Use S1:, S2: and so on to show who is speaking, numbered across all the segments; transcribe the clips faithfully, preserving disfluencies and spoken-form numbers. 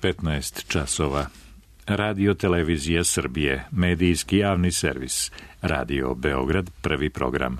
S1: petnaest časova. Radio Televizija Srbije, medijski javni servis. Radio Beograd, prvi program.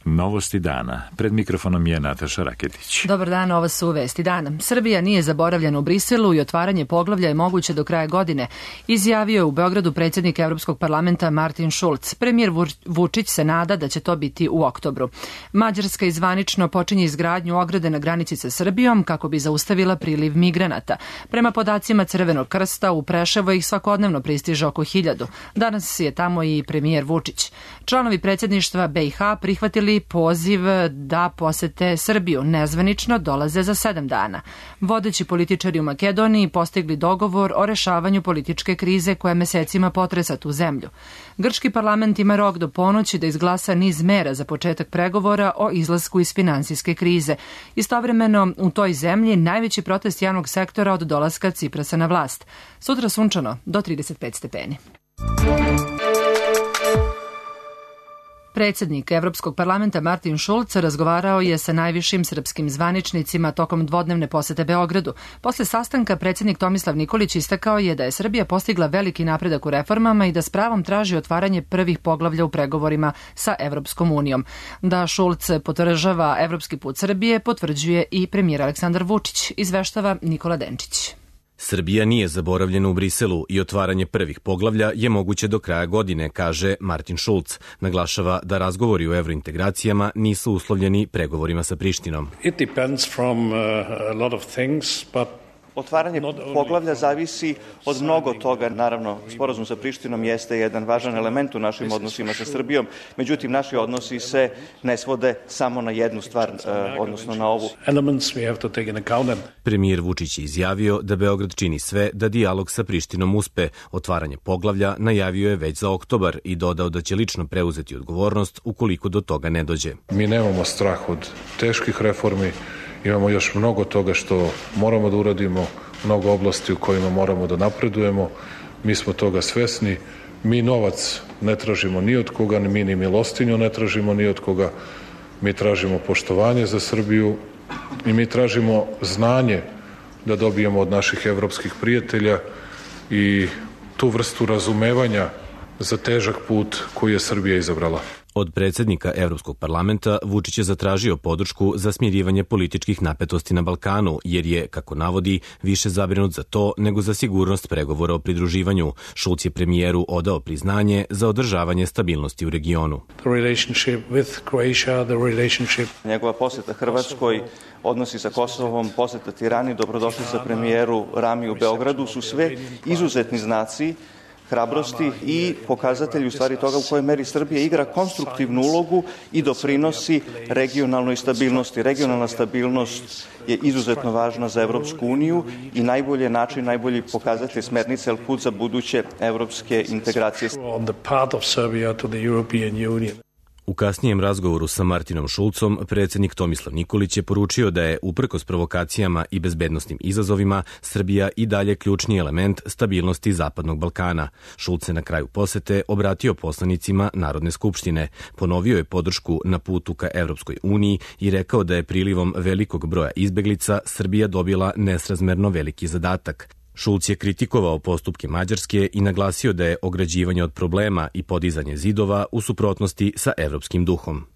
S1: Novosti dana. Pred mikrofonom je Nataša Raketić.
S2: Dobar dan, ovo su vesti dana. Srbija nije zaboravljena u Briselu i otvaranje poglavlja je moguće do kraja godine, izjavio je u Beogradu predsjednik Evropskog parlamenta Martin Schulz. Premijer Vučić se nada da će to biti u oktobru. Mađarska izvanično počinje izgradnju ograde na granici sa Srbijom kako bi zaustavila priliv migranata. Prema podacima Crvenog krsta, u Preševo ih svakodnevno pristiže oko hiljadu. Danas je tamo i premijer Vučić. Članovi predsjedništva B i H prihvatili poziv da posete Srbiju. Nezvanično dolaze za sedam dana. Vodeći političari u Makedoniji postigli dogovor o rešavanju političke krize koja mesecima potresa tu zemlju. Grčki parlament ima rok do ponoći da izglasa niz mera za početak pregovora o izlasku iz finansijske krize. Istovremeno u toj zemlji najveći protest javnog sektora od dolaska Ciprasa na vlast. Sutra sunčano do trideset pet stepeni. Predsjednik Evropskog parlamenta Martin Schulz razgovarao je sa najvišim srpskim zvaničnicima tokom dvodnevne posete Beogradu. Posle sastanka predsjednik Tomislav Nikolić istakao je da je Srbija postigla veliki napredak u reformama i da s pravom traži otvaranje prvih poglavlja u pregovorima sa Evropskom unijom. Da Schulz podržava evropski put Srbije potvrđuje i premijer Aleksandar Vučić, izveštava Nikola Denčić.
S3: Srbija nije zaboravljena u Briselu i otvaranje prvih poglavlja je moguće do kraja godine, kaže Martin Schulz. Naglašava da razgovori o evrointegracijama nisu uslovljeni pregovorima sa Prištinom.
S4: It depends from a lot of things, but
S5: Otvaranje poglavlja zavisi od mnogo toga. Naravno, sporazum sa Prištinom jeste jedan važan element u našim odnosima sa Srbijom, međutim, naši odnosi se ne svode samo na jednu stvar, odnosno na ovu.
S3: Premijer Vučić je izjavio da Beograd čini sve da dijalog sa Prištinom uspe. Otvaranje poglavlja najavio je već za oktobar i dodao da će lično preuzeti odgovornost ukoliko do toga ne dođe.
S6: Mi nemamo strah od teških reformi. Imamo još mnogo toga što moramo da uradimo, mnogo oblasti u kojima moramo da napredujemo. Mi smo toga svesni. Mi novac ne tražimo ni od koga, mi ni milostinju ne tražimo ni od koga. Mi tražimo poštovanje za Srbiju i mi tražimo znanje da dobijemo od naših evropskih prijatelja i tu vrstu razumevanja za težak put koji je Srbija izabrala.
S3: Od predsjednika Evropskog parlamenta Vučić je zatražio podršku za smirivanje političkih napetosti na Balkanu, jer je, kako navodi, više zabrinut za to nego za sigurnost pregovora o pridruživanju. Schulz je premijeru odao priznanje za održavanje stabilnosti u regionu.
S5: Njegova poseta Hrvatskoj, odnosi sa Kosovom, poseta Tirani, dobrodošli sa premijeru Rami u Beogradu su sve izuzetni znaci hrabrosti i pokazatelji u stvari toga u kojoj meri Srbija igra konstruktivnu ulogu i doprinosi regionalnoj stabilnosti. Regionalna stabilnost je izuzetno važna za Evropsku uniju i najbolji način, najbolji pokazatelj smernice, ali put za buduće evropske integracije.
S3: U kasnijem razgovoru sa Martinom Schulzom, predsjednik Tomislav Nikolić je poručio da je, uprkos provokacijama i bezbednosnim izazovima, Srbija i dalje ključni element stabilnosti Zapadnog Balkana. Schulz se na kraju posete obratio poslanicima Narodne skupštine, ponovio je podršku na putu ka Evropskoj uniji i rekao da je prilivom velikog broja izbeglica Srbija dobila nesrazmerno veliki zadatak. Schulz je kritikovao postupke Mađarske i naglasio da je ograđivanje od problema i podizanje zidova u suprotnosti sa evropskim duhom.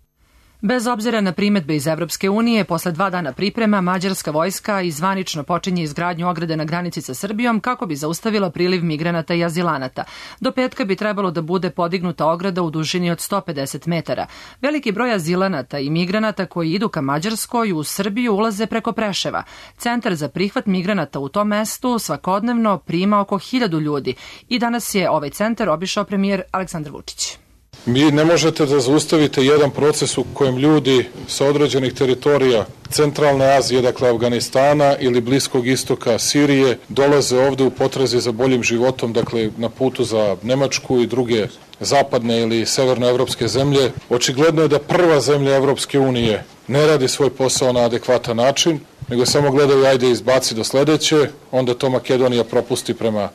S2: Bez obzira na primedbe iz Evropske unije, posle dva dana priprema, mađarska vojska izvanično počinje izgradnju ograde na granici sa Srbijom kako bi zaustavila priliv migranata i azilanata. Do petka bi trebalo da bude podignuta ograda u dužini od sto pedeset metara. Veliki broj azilanata i migranata koji idu ka Mađarskoj u Srbiju ulaze preko Preševa. Centar za prihvat migranata u tom mestu svakodnevno prima oko hiljadu ljudi i danas je ovaj centar obišao premijer Aleksandar Vučić.
S6: Mi ne možete da zaustavite jedan proces u kojem ljudi sa određenih teritorija Centralne Azije, dakle Afganistana ili Bliskog istoka, Sirije, dolaze ovde u potrazi za boljim životom, dakle na putu za Nemačku i druge zapadne ili severnoevropske zemlje. Očigledno je da prva zemlja Evropske unije ne radi svoj posao na adekvatan način, nego samo gledaju ajde izbaci do sledeće, onda to Makedonija propusti prema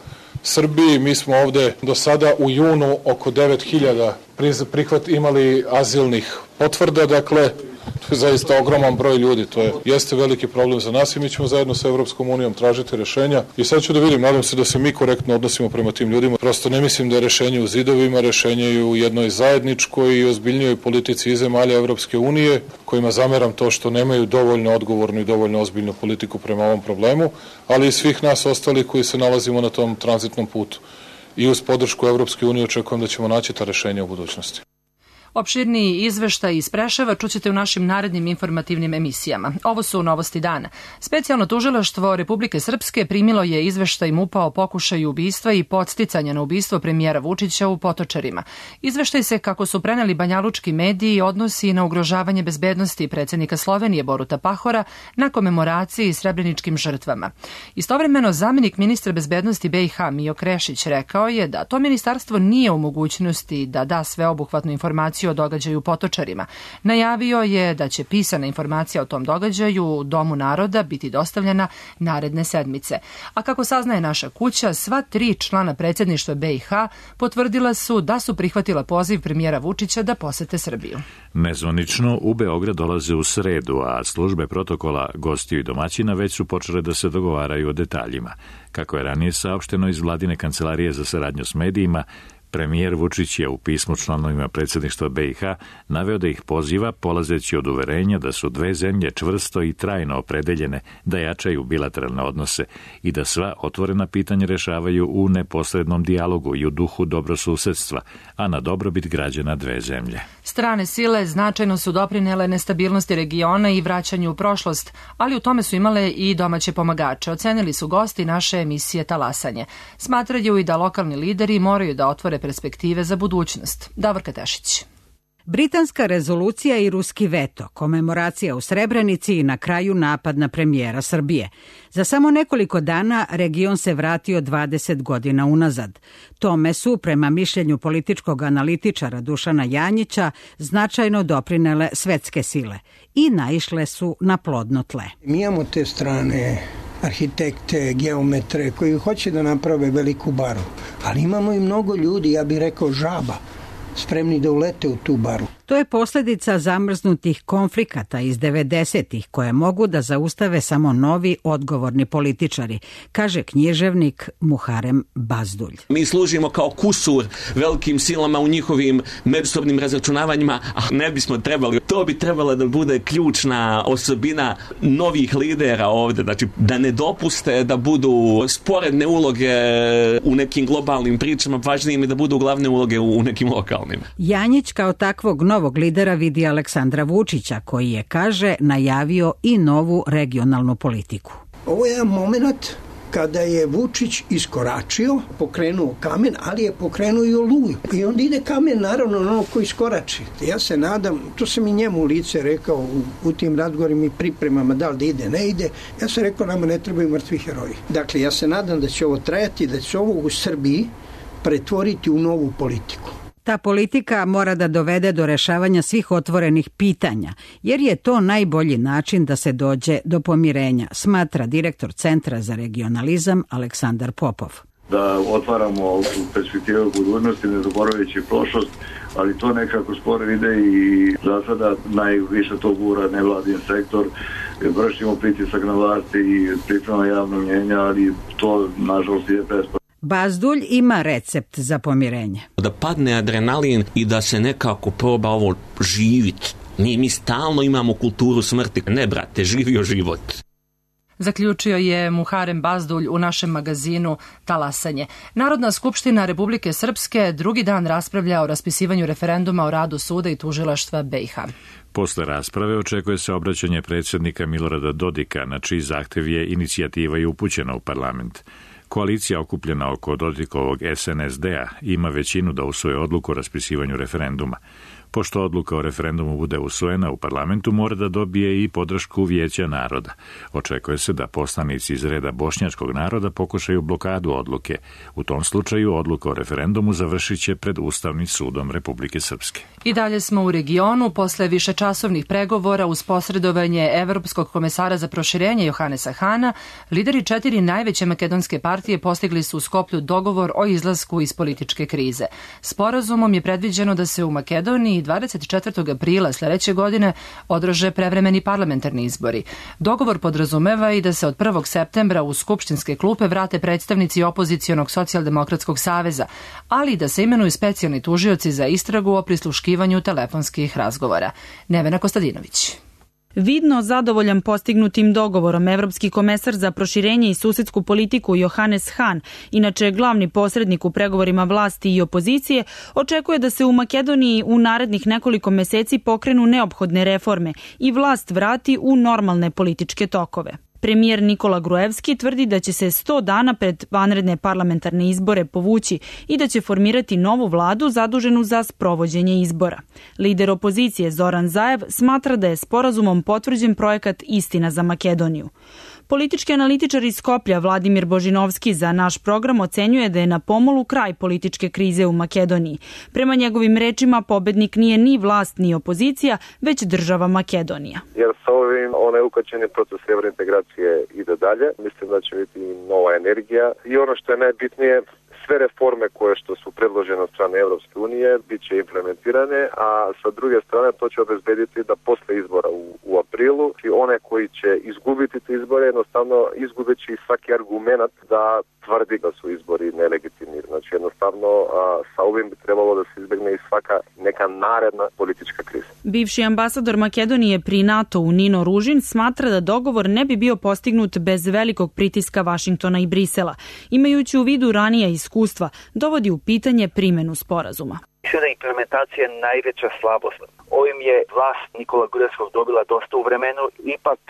S6: Srbiji. Mi smo ovde do sada u junu oko devet hiljada prihvat imali azilnih potvrda, dakle, to je zaista ogroman broj ljudi, to je, jeste veliki problem za nas i mi ćemo zajedno sa Evropskom unijom tražiti rešenja. I sad ću da vidim, nadam se da se mi korektno odnosimo prema tim ljudima. Prosto ne mislim da je rešenje u zidovima, rešenje je u jednoj zajedničkoj i ozbiljnijoj politici i zemalja Evropske unije, kojima zameram to što nemaju dovoljno odgovornu i dovoljno ozbiljnu politiku prema ovom problemu, ali i svih nas ostali koji se nalazimo na tom tranzitnom putu. I uz podršku Evropske unije očekujem da ćemo naći ta rešenja u budućnosti.
S2: Opširniji izveštaj iz Preševa čućete u našim narednim informativnim emisijama. Ovo su novosti dana. Specijalno tužilaštvo Republike Srpske primilo je izveštaj MUP-a o pokušaju ubistva i podsticanja na ubistvo premijera Vučića u Potočarima. Izveštaj se, kako su preneli banjalučki mediji, odnosi na ugrožavanje bezbednosti predsjednika Slovenije Boruta Pahora na komemoraciji srebreničkim žrtvama. Istovremeno, zamenik ministra bezbednosti B i H Mijo Krešić rekao je da to ministarstvo nije u mogućnosti da da sveobuhvatnu informaciju o događaju u Potočarima. Najavio je da će pisana informacija o tom događaju u Domu naroda biti dostavljena naredne sedmice. A kako saznaje naša kuća, sva tri člana predsjedništva B i H potvrdila su da su prihvatila poziv premijera Vučića da posete Srbiju.
S1: Nezvanično u Beograd dolaze u sredu, a službe protokola gostiju i domaćina već su počele da se dogovaraju o detaljima. Kako je ranije saopšteno iz vladine kancelarije za saradnju s medijima, premijer Vučić je u pismu članovima predsjedništva B i H naveo da ih poziva, polazeći od uverenja da su dve zemlje čvrsto i trajno opredeljene da jačaju bilateralne odnose i da sva otvorena pitanja rešavaju u neposrednom dijalogu i u duhu dobrosusedstva, a na dobrobit građana dve zemlje.
S2: Strane sile značajno su doprinele nestabilnosti regiona i vraćanju u prošlost, ali u tome su imale i domaće pomagače. Ocenili su gosti naše emisije Talasanje. Smatraju i da lokalni lideri moraju da otvore perspektive za budućnost. Davorka Tešić.
S7: Britanska rezolucija i ruski veto, komemoracija u Srebrenici i na kraju napad na premijera Srbije. Za samo nekoliko dana region se vratio dvadeset godina unazad. Tome su, prema mišljenju političkog analitičara Dušana Janjića, značajno doprinele svetske sile i naišle su na plodno tle.
S8: Mi imamo te strane arhitekte, geometre koji hoće da naprave veliku baru, ali imamo i mnogo ljudi, ja bih rekao žaba, spremni da ulete u tu baru.
S7: To je posljedica zamrznutih konflikata iz devedesetih koje mogu da zaustave samo novi odgovorni političari, kaže književnik Muharem Bazdulj.
S9: Mi služimo kao kusur velikim silama u njihovim međusobnim razračunavanjima, a ne bismo trebali. To bi trebala da bude ključna osobina novih lidera ovde, znači da ne dopuste da budu sporedne uloge u nekim globalnim pričama, važnije mi da budu glavne uloge u nekim lokalnim.
S7: Janjić kao takvog novog lidera vidi Aleksandra Vučića, koji je, kaže, najavio i novu regionalnu politiku.
S8: Ovo je jedan moment kada je Vučić iskoračio, pokrenuo kamen, ali je pokrenuo i oluju. I onda ide kamen, naravno, na ono koji iskorači. Ja se nadam, to sam i njemu u lice rekao u, u tim razgovorima i pripremama, da li da ide, ne ide. Ja sam rekao, nama ne trebaju mrtvi heroji. Dakle, ja se nadam da će ovo trajati, da će ovo u Srbiji pretvoriti u novu politiku.
S7: Ta politika mora da dovede do rešavanja svih otvorenih pitanja, jer je to najbolji način da se dođe do pomirenja, smatra direktor Centra za regionalizam Aleksandar Popov.
S10: Da otvaramo perspektive budućnosti, ne zaboravljajući prošlost, ali to nekako sporo ide i za sada najviše to gura nevladin sektor. Vršimo pritisak na vlasti i priprema javno mnjenja, ali to nažalost je besplatno.
S7: Bazdulj ima recept za pomirenje.
S9: Da padne adrenalin i da se nekako proba ovo živiti. Mi, mi stalno imamo kulturu smrti. Ne, brate, živio život.
S2: Zaključio je Muharem Bazdulj u našem magazinu Talasanje. Narodna skupština Republike Srpske drugi dan raspravlja o raspisivanju referenduma o radu suda i tužilaštva B i H.
S1: Posle rasprave očekuje se obraćanje predsjednika Milorada Dodika, na čiji zahtev je inicijativa i upućena u parlament. Koalicija okupljena oko Dodikovog S N S D-a ima većinu da usvoje odluku o raspisivanju referenduma. Pošto odluka o referendumu bude usvojena u parlamentu, mora da dobije i podršku Vijeća naroda. Očekuje se da poslanici iz reda bošnjačkog naroda pokušaju blokadu odluke. U tom slučaju odluka o referendumu završit će pred Ustavnim sudom Republike Srpske.
S2: I dalje smo u regionu. Posle višečasovnih pregovora uz posredovanje Evropskog komesara za proširenje Johanesa Hana, lideri četiri najveće makedonske partije partije postigli su u Skoplju dogovor o izlasku iz političke krize. Sporazumom je predviđeno da se u Makedoniji dvadeset četvrtog aprila sledeće godine održe prevremeni parlamentarni izbori. Dogovor podrazumeva i da se od prvog septembra u skupštinske klupe vrate predstavnici opozicionog socijaldemokratskog saveza, ali i da se imenuju specijalni tužioci za istragu o prisluškivanju telefonskih razgovora. Nevena Kostadinović.
S11: Vidno zadovoljan postignutim dogovorom, evropski komesar za proširenje i susedsku politiku Johannes Hahn, inače glavni posrednik u pregovorima vlasti i opozicije, očekuje da se u Makedoniji u narednih nekoliko meseci pokrenu neophodne reforme i vlast vrati u normalne političke tokove. Premijer Nikola Gruevski tvrdi da će se sto dana pred vanredne parlamentarne izbore povući i da će formirati novu vladu zaduženu za sprovođenje izbora. Lider opozicije Zoran Zaev smatra da je sporazumom potvrđen projekat Istina za Makedoniju. Politički analitičar iz Skoplja Vladimir Božinovski za naš program ocenjuje da je na pomolu kraj političke krize u Makedoniji. Prema njegovim rečima, pobednik nije ni vlast ni opozicija, već država Makedonija.
S12: Jer sa ovim onaj ukačeni proces evrointegracije ide dalje. Mislim da će biti nova energija i ono što je najbitnije, sve reforme koje što su predložene od strane Evropske unije bit će implementirane, a sa druge strane to će obezbediti da posle izbora u, u aprilu i one koji će izgubiti te izbore jednostavno izgubeći svaki argument da tvrdi da su izbori nelegitimni. Znači jednostavno a, sa ovim bi trebalo da se izbegne i svaka neka naredna politička kriza.
S11: Bivši ambasador Makedonije pri NATO-u Nino Ružin smatra da dogovor ne bi bio postignut bez velikog pritiska Vašingtona i Brisela. Imajući u vidu ranija iskustva, dovodi u pitanje primenu sporazuma.
S13: Mislim da je implementacija najveća slabost. Ovim je vlast Nikola Gruevskog dobila dosta u vremenu. Ipak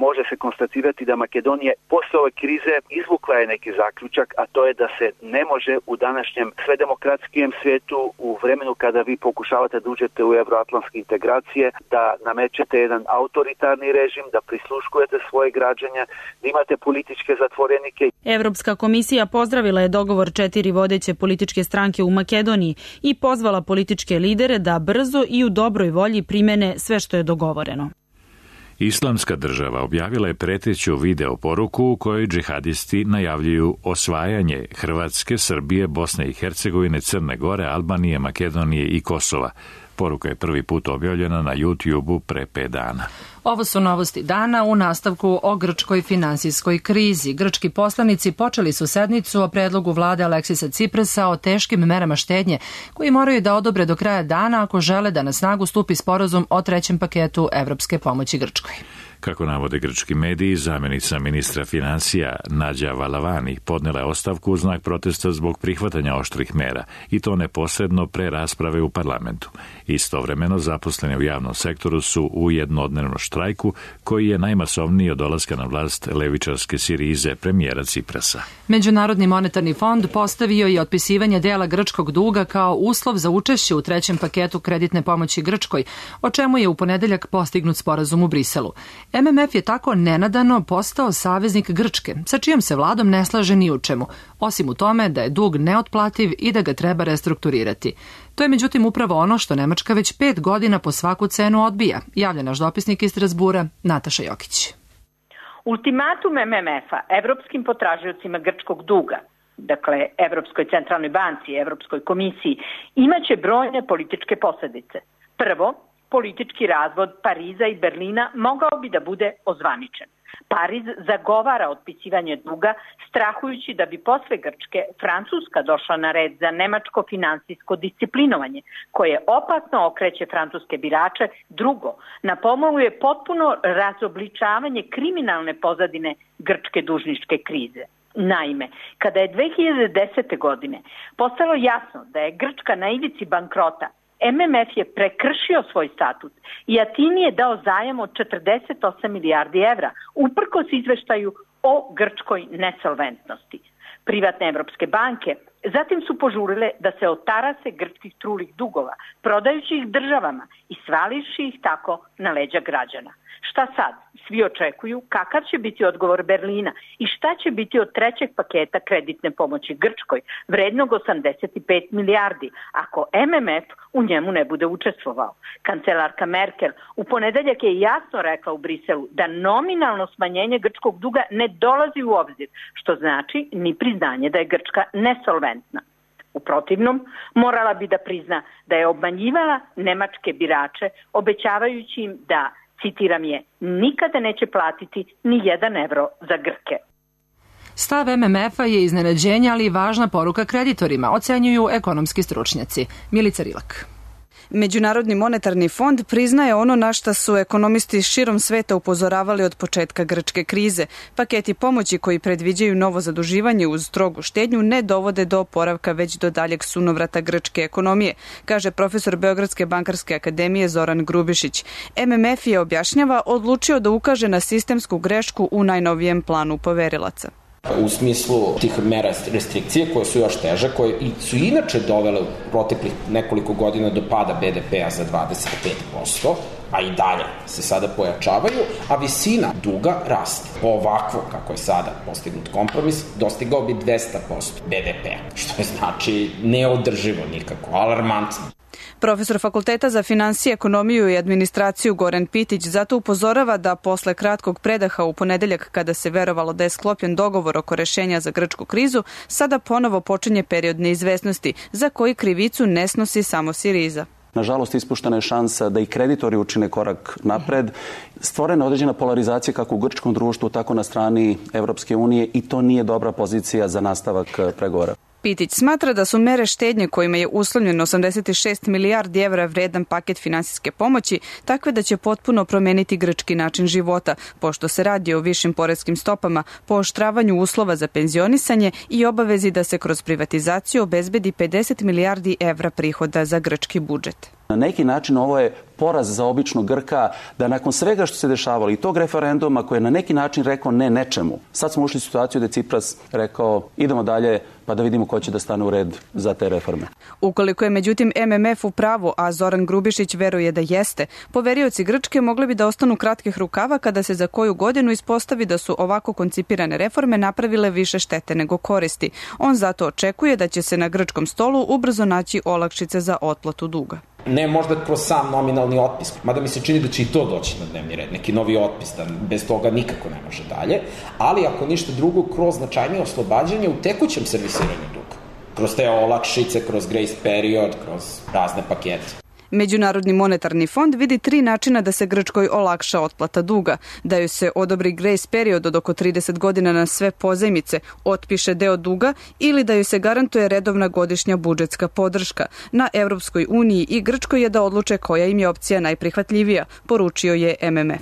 S13: može se konstatirati da Makedonija posle ove krize izvukla je neki zaključak, a to je da se ne može u današnjem sve demokratskim svijetu, u vremenu kada vi pokušavate da uđete u evroatlantske integracije, da namećete jedan autoritarni režim, da prisluškujete svoje građane, da imate političke zatvorenike.
S11: Evropska komisija pozdravila je dogovor četiri vodeće političke stranke u Makedoniji i pozvala političke lidere da brzo i u dobroj volji primene sve što je dogovoreno.
S1: Islamska država objavila je preteću video poruku u kojoj džihadisti najavljuju osvajanje Hrvatske, Srbije, Bosne i Hercegovine, Crne Gore, Albanije, Makedonije i Kosova. Poruka je prvi put objavljena na YouTube-u pre pet dana.
S2: Ovo su novosti dana u nastavku o grčkoj finansijskoj krizi. Grčki poslanici počeli su sednicu o predlogu vlade Aleksisa Ciprasa o teškim merama štednje koji moraju da odobre do kraja dana ako žele da na snagu stupi sporazum o trećem paketu evropske pomoći Grčkoj.
S1: Kako navode grčki mediji, zamjenica ministra finansija Nađa Valavani podnela je ostavku u znak protesta zbog prihvatanja oštrih mera i to neposredno pre rasprave u parlamentu. Istovremeno zaposleni u javnom sektoru su u jednodnevnom štrajku koji je najmasovniji od dolaska na vlast levičarske Sirize premijera Ciprasa.
S2: Međunarodni monetarni fond postavio je otpisivanje dela grčkog duga kao uslov za učešće u trećem paketu kreditne pomoći Grčkoj, o čemu je u ponedeljak postignut sporazum u Briselu. M M F je tako nenadano postao saveznik Grčke, sa čijom se vladom ne slaže ni u čemu, osim u tome da je dug neotplativ i da ga treba restrukturirati. To je međutim upravo ono što Nemačka već pet godina po svaku cenu odbija, javlja naš dopisnik iz Strasbura Nataša Jokić.
S14: Ultimatum M M F-a evropskim potražiocima grčkog duga, dakle Evropskoj centralnoj banci i Evropskoj komisiji, imaće brojne političke posljedice. Prvo, politički razvod Pariza i Berlina mogao bi da bude ozvaničen. Pariz zagovara otpisivanje duga, strahujući da bi posle Grčke Francuska došla na red za nemačko finansijsko disciplinovanje, koje opasno okreće francuske birače. Drugo, na pomolu je potpuno razobličavanje kriminalne pozadine grčke dužničke krize. Naime, kada je dve hiljade desete. godine postalo jasno da je Grčka na ivici bankrota, M M F je prekršio svoj statut i Atini je dao zajam od četrdeset osam milijardi evra, uprkos izveštaju o grčkoj nesolventnosti. Privatne evropske banke Zatim su požurile da se otarase grčkih trulih dugova, prodajući ih državama i svališi ih tako na leđa građana. Šta sad? Svi očekuju kakav će biti odgovor Berlina i šta će biti od trećeg paketa kreditne pomoći Grčkoj, vrednog osamdeset pet milijardi, ako M M F u njemu ne bude učestvovao. Kancelarka Merkel u ponedeljak je jasno rekla u Briselu da nominalno smanjenje grčkog duga ne dolazi u obzir, što znači ni priznanje da je Grčka nesolventna. U protivnom, morala bi da prizna da je obmanjivala nemačke birače, obećavajući im da, citiram je, nikada neće platiti ni jedan evro za Grke.
S2: Stav M M F-a je iznenađenje, ali i važna poruka kreditorima, ocenjuju ekonomski stručnjaci. Milica Rilak.
S15: Međunarodni monetarni fond priznaje ono na šta su ekonomisti širom sveta upozoravali od početka grčke krize. Paketi pomoći koji predviđaju novo zaduživanje uz strogu štednju ne dovode do oporavka već do daljeg sunovrata grčke ekonomije, kaže profesor Beogradske bankarske akademije Zoran Grubišić. M M F je, objašnjava, odlučio da ukaže na sistemsku grešku u najnovijem planu poverilaca.
S16: U smislu tih mera restrikcije koje su još teže, koje su inače dovele u proteklih nekoliko godina do pada B D P-a za dvadeset pet posto, a i dalje se sada pojačavaju, a visina duga raste. Ovako, kako je sada postignut kompromis, dostigao bi dvesta posto B D P-a, što je znači neodrživo nikako, alarmantno.
S15: Profesor Fakulteta za finansije, ekonomiju i administraciju Goran Pitić zato upozorava da posle kratkog predaha u ponedeljak, kada se verovalo da je sklopljen dogovor oko rešenja za grčku krizu, sada ponovo počinje period neizvesnosti za koji krivicu ne snosi samo Siriza.
S17: Nažalost, ispuštena je šansa da i kreditori učine korak napred. Stvorena je određena polarizacija kako u grčkom društvu, tako na strani Evropske unije i to nije dobra pozicija za nastavak pregovora.
S15: Pitić smatra da su mere štednje kojima je uslovljen osamdeset šest milijardi evra vredan paket finansijske pomoći takve da će potpuno promeniti grčki način života, pošto se radi o višim poreskim stopama, pooštravanju uslova za penzionisanje i obavezi da se kroz privatizaciju obezbedi pedeset milijardi evra prihoda za grčki budžet.
S17: Na neki način ovo je poraz za običnog Grka da nakon svega što se dešavalo i tog referenduma koji je na neki način rekao ne nečemu, sad smo ušli u situaciju da je Cipras rekao idemo dalje pa da vidimo ko će da stane u red za te reforme.
S15: Ukoliko je međutim M M F u pravu, a Zoran Grubišić veruje da jeste, poverioci Grčke mogli bi da ostanu kratkih rukava kada se za koju godinu ispostavi da su ovako koncipirane reforme napravile više štete nego koristi. On zato očekuje da će se na grčkom stolu ubrzo naći olakšice za otplatu duga.
S16: Ne možda kroz sam nominalni otpis, mada mi se čini da će i to doći na dnevni red, neki novi otpis, da bez toga nikako ne može dalje, ali ako ništa drugo, kroz značajnije oslobađanje u tekućem servisiranju duga, kroz te olakšice, kroz grace period, kroz razne pakete.
S15: Međunarodni monetarni fond vidi tri načina da se Grčkoj olakša otplata duga, da joj se odobri grace period od oko trideset godina na sve pozajmice, otpiše deo duga ili da joj se garantuje redovna godišnja budžetska podrška. Na Evropskoj uniji i Grčkoj je da odluče koja im je opcija najprihvatljivija, poručio je M M F.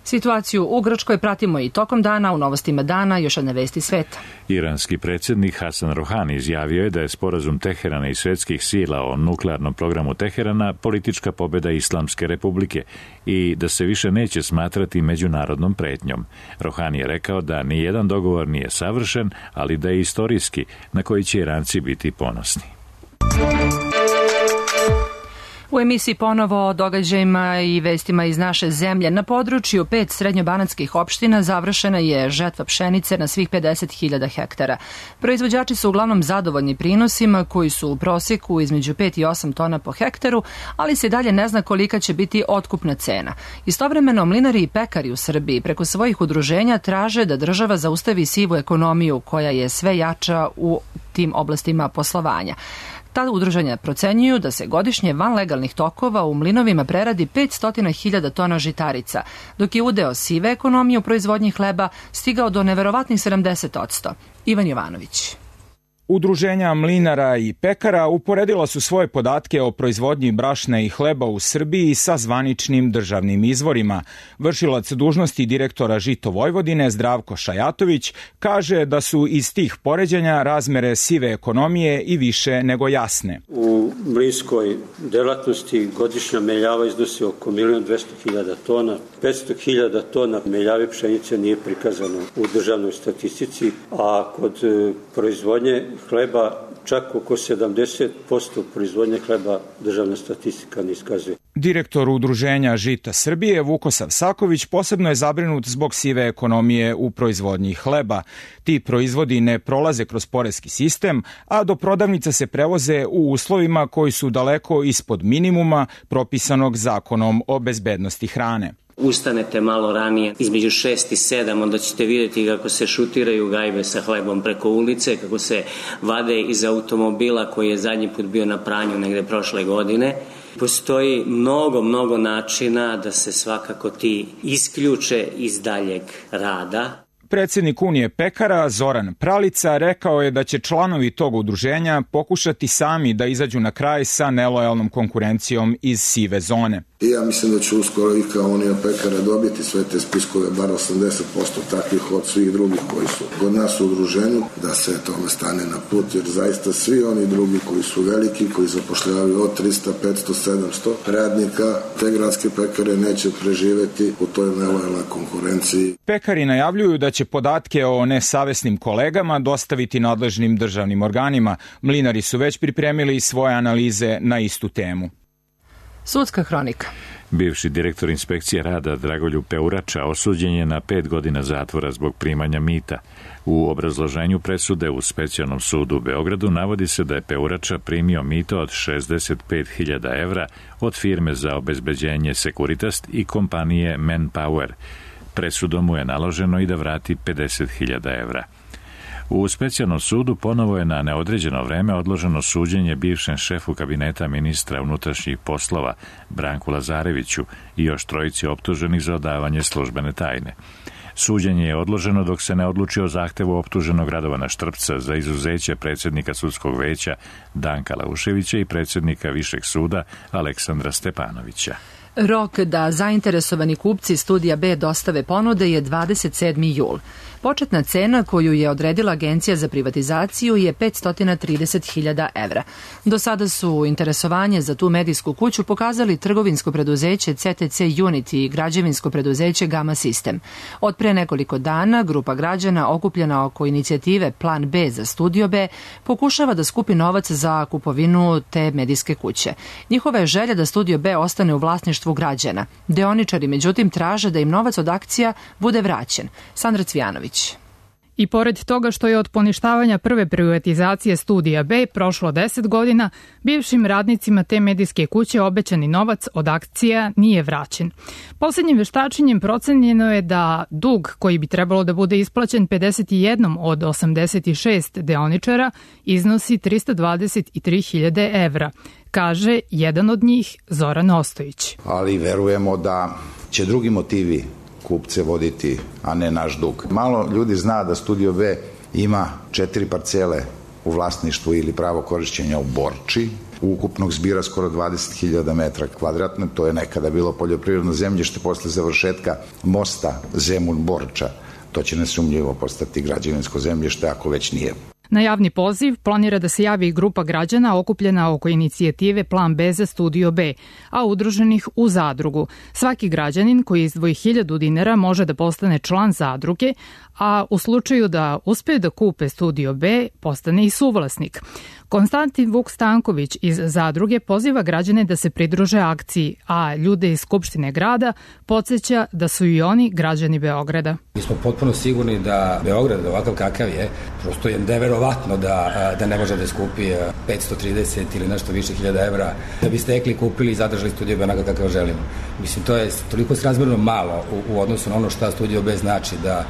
S2: Situaciju u Grčkoj pratimo i tokom dana, u novostima dana još jedne vesti sveta.
S1: Iranski predsjednik Hasan Rohani izjavio je da je sporazum Teherana i svetskih sila o nuklearnom programu Teherana politička pobjeda Islamske republike i da se više neće smatrati međunarodnom pretnjom. Rohani je rekao da nijedan dogovor nije savršen, ali da je istorijski, na koji će Iranci biti ponosni.
S2: U emisiji ponovo o događajima i vestima iz naše zemlje. Na području pet srednjobanatskih opština završena je žetva pšenice na svih pedeset hiljada hektara. Proizvođači su uglavnom zadovoljni prinosima koji su u prosjeku između pet i osam tona po hektaru, ali se dalje ne zna kolika će biti otkupna cena. Istovremeno mlinari i pekari u Srbiji preko svojih udruženja traže da država zaustavi sivu ekonomiju koja je sve jača u tim oblastima poslovanja. Ta udruženja procenjuju da se godišnje van legalnih tokova u mlinovima preradi petsto hiljada tona žitarica, dok je udeo sive ekonomije u proizvodnji hleba stigao do neverovatnih sedamdeset posto. Ivan Jovanović.
S18: Udruženja mlinara i pekara uporedila su svoje podatke o proizvodnji brašna i hleba u Srbiji sa zvaničnim državnim izvorima. Vršilac dužnosti direktora Žito Vojvodine Zdravko Šajatović kaže da su iz tih poređenja razmere sive ekonomije i više nego jasne.
S19: U mlinskoj delatnosti godišnja meljava iznosi oko milion dvesta hiljada tona. petsto hiljada tona meljave pšenice nije prikazano u državnoj statistici, a kod proizvodnje hleba, čak oko sedamdeset posto proizvodnje hleba državna statistika ne iskazuje.
S18: Direktor Udruženja Žita Srbije Vukosav Saković posebno je zabrinut zbog sive ekonomije u proizvodnji hleba. Ti proizvodi ne prolaze kroz poreski sistem, a do prodavnica se prevoze u uslovima koji su daleko ispod minimuma propisanog Zakonom o bezbednosti hrane.
S20: Ustanete malo ranije, između šest i sedam, onda ćete vidjeti kako se šutiraju gajbe sa hlebom preko ulice, kako se vade iz automobila koji je zadnji put bio na pranju negde prošle godine. Postoji mnogo, mnogo načina da se svakako ti isključe iz daljeg rada.
S18: Predsednik Unije pekara Zoran Pralica rekao je da će članovi tog udruženja pokušati sami da izađu na kraj sa nelojalnom konkurencijom iz sive zone.
S21: I ja mislim da će uskoro i kao Unija pekara dobiti sve te spiskove, bar osamdeset posto takvih od svih drugih koji su kod nas u udruženju, da se tome stane na put, jer zaista svi oni drugi koji su veliki, koji zapošljavaju od trista, petsto, sedamsto radnika, te gradske pekare neće preživeti u toj nelojalnoj konkurenciji.
S18: Pekari najavljuju da će podatke o nesavesnim kolegama dostaviti nadležnim državnim organima. Mlinari su već pripremili svoje analize na istu temu.
S2: Sudska hronika.
S1: Bivši direktor inspekcije rada Dragoljub Peurača osuđen je na pet godina zatvora zbog primanja mita. U obrazloženju presude u Specijalnom sudu u Beogradu navodi se da je Peurača primio mito od šezdeset pet hiljada evra od firme za obezbeđenje Securitas i kompanije Manpower. Presudom mu je naloženo i da vrati pedeset hiljada evra. U Specijalnom sudu ponovo je na neodređeno vreme odloženo suđenje bivšem šefu kabineta ministra unutrašnjih poslova Branku Lazareviću i još trojici optuženih za odavanje službene tajne. Suđenje je odloženo dok se ne odluči o zahtevu optuženog Radovana Štrpca za izuzeće predsjednika sudskog veća Danka Lauševića i predsjednika Višeg suda Aleksandra Stepanovića.
S2: Rok da zainteresovani kupci Studija B dostave ponude je dvadeset sedmi jul. Početna cena koju je odredila Agencija za privatizaciju je petsto trideset hiljada evra. Do sada su interesovanje za tu medijsku kuću pokazali trgovinsko preduzeće C T C Unity i građevinsko preduzeće Gama System. Od pre nekoliko dana grupa građana okupljena oko inicijative Plan B za Studio B pokušava da skupi novac za kupovinu te medijske kuće. Njihova je želja da Studio B ostane u vlasništvu građana. Deoničari međutim traže da im novac od akcija bude vraćen. Sandra Cvijanović.
S22: I pored toga što je od poništavanja prve privatizacije Studija B prošlo deset godina, bivšim radnicima te medijske kuće obećani novac od akcija nije vraćen. Poslednjim veštačenjem procenjeno je da dug koji bi trebalo da bude isplaćen pedeset jedan od osamdeset šest deoničara iznosi trista dvadeset tri hiljade evra, kaže jedan od njih Zoran Ostojić.
S23: Ali verujemo da će drugi motivi kupce voditi, a ne naš dug. Malo ljudi zna da Studio B ima četiri parcele u vlasništvu ili pravo korišćenja u Borči, ukupnog zbira skoro dvadeset hiljada metra kvadratne, to je nekada bilo poljoprivredno zemljište posle završetka mosta Zemun-Borča. To će nesumnjivo postati građevinsko zemljište ako već nije.
S22: Na javni poziv planira da se javi grupa građana okupljena oko inicijative Plan B za Studio B, a udruženih u zadrugu. Svaki građanin koji izdvoji hiljadu dinara može da postane član zadruge, a u slučaju da uspeju da kupe Studio B, postane i suvlasnik. Konstantin Vuk Stanković iz zadruge poziva građane da se pridruže akciji, a ljude iz Skupštine grada podsjeća da su i oni građani Beograda.
S24: Mi smo potpuno sigurni da Beograd, ovakav kakav je, prosto je neverovatno da, da ne može da skupi petsto trideset ili nešto više hiljada evra da bi stekli, kupili i zadržali Studio B onako kakav želimo. Mislim, to je toliko srazmjerno malo u, u odnosu na ono šta Studio B znači, da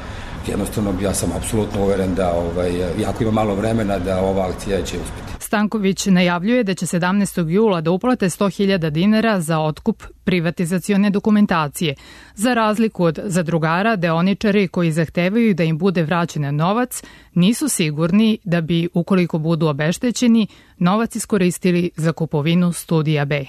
S24: jednostavno ja sam apsolutno uveren da ovaj, jako ima malo vremena da ova akcija će uspjeti.
S22: Stanković najavljuje da će sedamnaestog jula da uplate sto hiljada dinara za otkup privatizacione dokumentacije. Za razliku od zadrugara, deoničari koji zahtevaju da im bude vraćen novac nisu sigurni da bi, ukoliko budu obeštećeni, novac iskoristili za kupovinu Studija B.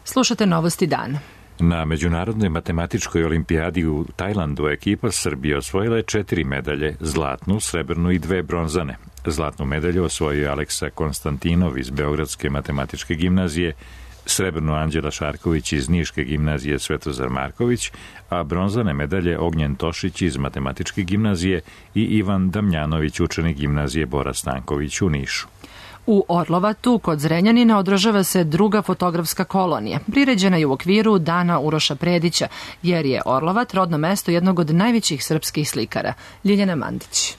S2: Slušate Novosti dana.
S1: Na Međunarodnoj matematičkoj olimpijadi u Tajlandu ekipa Srbije osvojila je četiri medalje, zlatnu, srebrnu i dve bronzane. Zlatnu medalju osvojio Aleksa Konstantinov iz Beogradske matematičke gimnazije, srebrnu Anđela Šarković iz Niške gimnazije Svetozar Marković, a bronzane medalje Ognjen Tošić iz Matematičke gimnazije i Ivan Damljanović, učenik gimnazije Bora Stanković u Nišu.
S2: U Orlovatu, kod Zrenjanina, održava se druga fotografska kolonija. Priređena je u okviru Dana Uroša Predića, jer je Orlovat rodno mesto jednog od najvećih srpskih slikara. Ljiljana Mandić.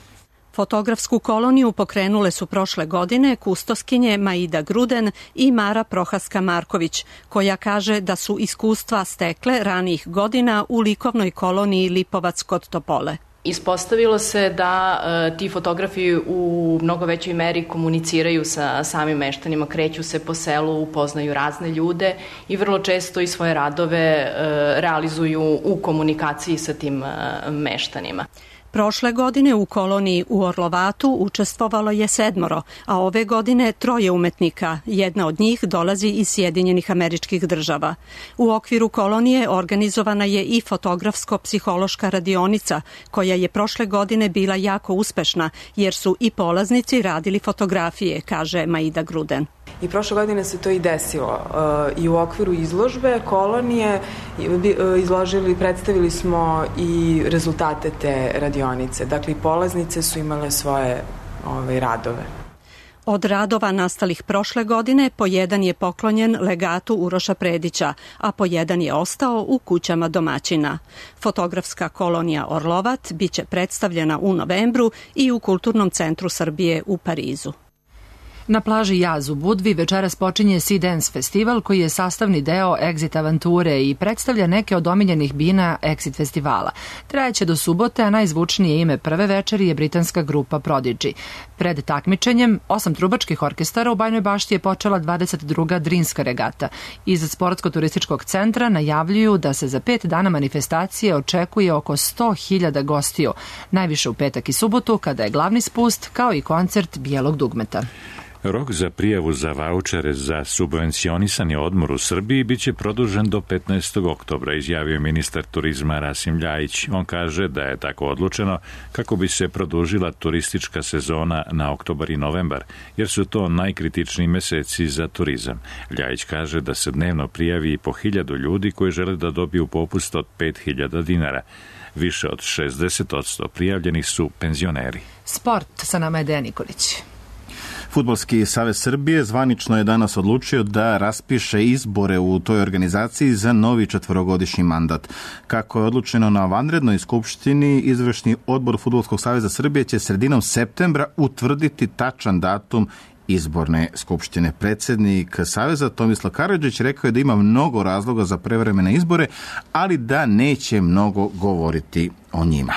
S3: Fotografsku koloniju pokrenule su prošle godine kustoskinje Maida Gruden i Mara Prohaska-Marković, koja kaže da su iskustva stekle ranijih godina u likovnoj koloniji Lipovac kod Topole.
S4: Ispostavilo se da e, ti fotografi u mnogo većoj meri komuniciraju sa samim meštanima, kreću se po selu, upoznaju razne ljude i vrlo često i svoje radove e, realizuju u komunikaciji sa tim e, meštanima.
S3: Prošle godine u koloniji u Orlovatu učestvovalo je sedmoro, a ove godine troje umetnika. Jedna od njih dolazi iz Sjedinjenih Američkih Država. U okviru kolonije organizovana je i fotografsko-psihološka radionica, koja je prošle godine bila jako uspešna, jer su i polaznici radili fotografije, kaže Maida Gruden.
S5: I prošle godine se to i desilo. I u okviru izložbe kolonije izložili, predstavili smo i rezultate te radionice. Dakle, polaznice su imale svoje ove, radove.
S3: Od radova nastalih prošle godine po jedan je poklonjen legatu Uroša Predića, a po jedan je ostao u kućama domaćina. Fotografska kolonija Orlovat biće predstavljena u novembru i u Kulturnom centru Srbije u Parizu.
S2: Na plaži Jaz u Budvi večeras počinje Sea Dance festival, koji je sastavni deo Exit avanture i predstavlja neke od omiljenih bina Exit festivala. Trajeće do subote, a najzvučnije ime prve večeri je britanska grupa Prodigy. Pred takmičenjem osam trubačkih orkestara u Bajnoj Bašti je počela dvadeset druga Drinska regata. Iz Sportsko-turističkog centra najavljuju da se za pet dana manifestacije očekuje oko sto hiljada gostiju, najviše u petak i subotu, kada je glavni spust, kao i koncert Bijelog dugmeta.
S1: Rok za prijavu za vaučere za subvencionisani odmor u Srbiji biće produžen do petnaestog oktobra, izjavio je ministar turizma Rasim Ljajić. On kaže da je tako odlučeno kako bi se produžila turistička sezona na oktobar i novembar, jer su to najkritičniji meseci za turizam. Ljajić kaže da se dnevno prijavi po hiljadu ljudi koji žele da dobiju popust od pet hiljada dinara. Više od šezdeset posto prijavljenih su penzioneri.
S2: Sport, sa nama je Dejan Nikolić.
S6: Fudbalski savez Srbije zvanično je danas odlučio da raspiše izbore u toj organizaciji za novi četvorogodišnji mandat. Kako je odlučeno na vanrednoj skupštini, izvršni odbor Fudbalskog saveza Srbije će sredinom septembra utvrditi tačan datum izborne skupštine. Predsednik Saveza Tomislav Karadžić rekao je da ima mnogo razloga za prevremene izbore, ali da neće mnogo govoriti o njima.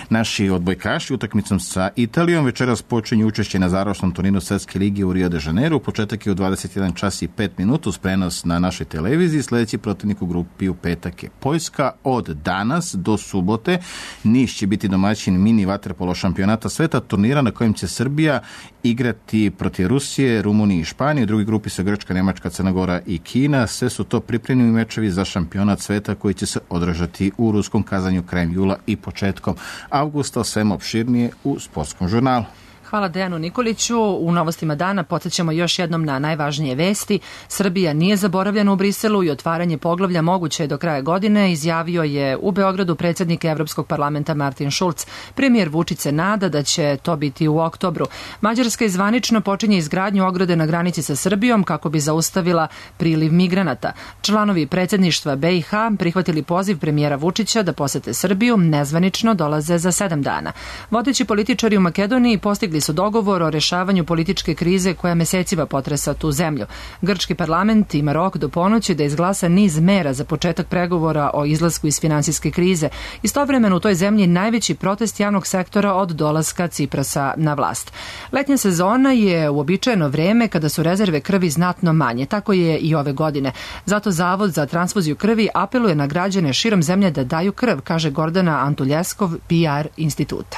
S6: Naši odbojkaši utakmicom sa Italijom večeras počinju učešće na završnom turninu Svetske lige u Rio de Janeiro. Početak je u dvadeset jedan čas i pet minuta uz prenos na našoj televiziji. Sljedeći protivnik u grupi u petak je Poljska. Od danas do subote Niš će biti domaćin mini vaterpolo šampionata sveta, turnira na kojem će Srbija igrati protiv Rusije, Rumunije i Španije. U drugoj grupi su Grčka, Nemačka, Crna Gora i Kina. Sve su to pripremljeni mečevi za šampionat sveta koji će se održati u Ruskom Kazanju krajem jula i početkom avgusta. Svema opširnije u Sportskom žurnalu.
S2: Hvala Dejanu Nikoliću. U novostima dana podsjećamo još jednom na najvažnije vesti. Srbija nije zaboravljena u Briselu i otvaranje poglavlja moguće je do kraja godine, izjavio je u Beogradu predsjednik Evropskog parlamenta Martin Schulz. Premijer Vučić se nada da će to biti u oktobru. Mađarska izvanično počinje izgradnju ograde na granici sa Srbijom kako bi zaustavila priliv migranata. Članovi predsjedništva B i H prihvatili poziv premijera Vučića da posete Srbiju, nezvanično dolaze za sedam dana. Vodeći političari u Makedoniji postigli su dogovor o rešavanju političke krize koja mesecima potresa tu zemlju. Grčki parlament ima rok do ponoći da izglasa niz mera za početak pregovora o izlasku iz finansijske krize. Istovremeno u toj zemlji najveći protest javnog sektora od dolaska Ciprasa na vlast. Letnja sezona je uobičajeno vreme kada su rezerve krvi znatno manje. Tako je i ove godine. Zato Zavod za transfuziju krvi apeluje na građane širom zemlje da daju krv, kaže Gordana Antuljeskov, P R instituta.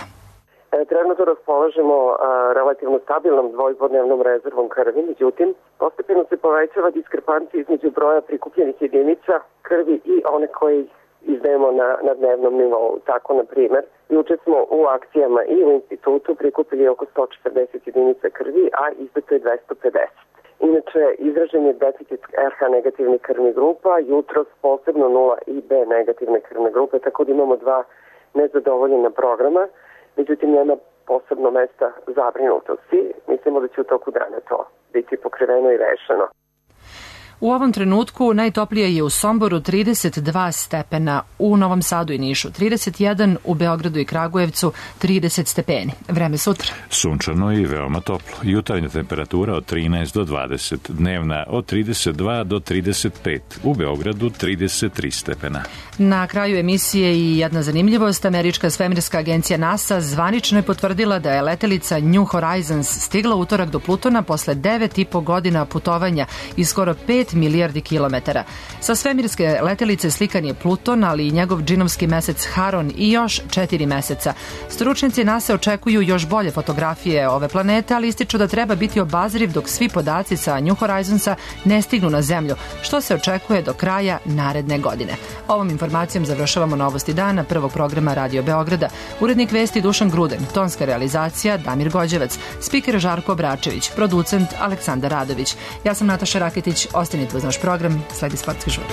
S25: Trenutno raspolažemo a, relativno stabilnom dvojpodnevnom rezervom krvi, međutim, postepeno se povećava diskrepancija između broja prikupljenih jedinica krvi i one koje izdajemo na, na dnevnom nivou. Tako, na primjer, juče smo u akcijama i u institutu prikupili oko sto četrdeset jedinica krvi, a izdato je dvesta pedeset. Inače, izražen je deficit er ha negativnih krvnih grupa, jutros posebno nula i be negativne krvne grupe, tako da imamo dva nezadovoljena programa, međutim nema posebno mesta zabrinutosti. Mislimo da će u toku dana to biti pokriveno i rešeno.
S2: U ovom trenutku najtoplije je u Somboru trideset dva stepena, u Novom Sadu i Nišu trideset jedan, u Beogradu i Kragujevcu trideset stepeni. Vreme sutra.
S1: Sunčano i veoma toplo. Jutarnja temperatura od trinaest do dvadeset, dnevna od trideset dva do trideset pet, u Beogradu trideset tri stepena.
S2: Na kraju emisije i jedna zanimljivost. Američka svemirska agencija NASA zvanično je potvrdila da je letelica New Horizons stigla utorak do Plutona posle devet i po godina putovanja i skoro pet milijardi kilometara. Sa svemirske letelice slikan je Pluton, ali i njegov džinovski mesec Haron i još četiri meseca. Stručnjaci NASA očekuju još bolje fotografije ove planete, ali ističu da treba biti obazriv dok svi podaci sa New Horizonsa ne stignu na Zemlju, što se očekuje do kraja naredne godine. Ovom informacijom završavamo novosti dana prvog programa Radio Beograda. Urednik vesti Dušan Gruden, tonska realizacija Damir Gođevac, spiker Žarko Obračević, producent Aleksandar Radović. Ja sam Nataša Raketić, ostanite uz naš program, sledi Sportski žur.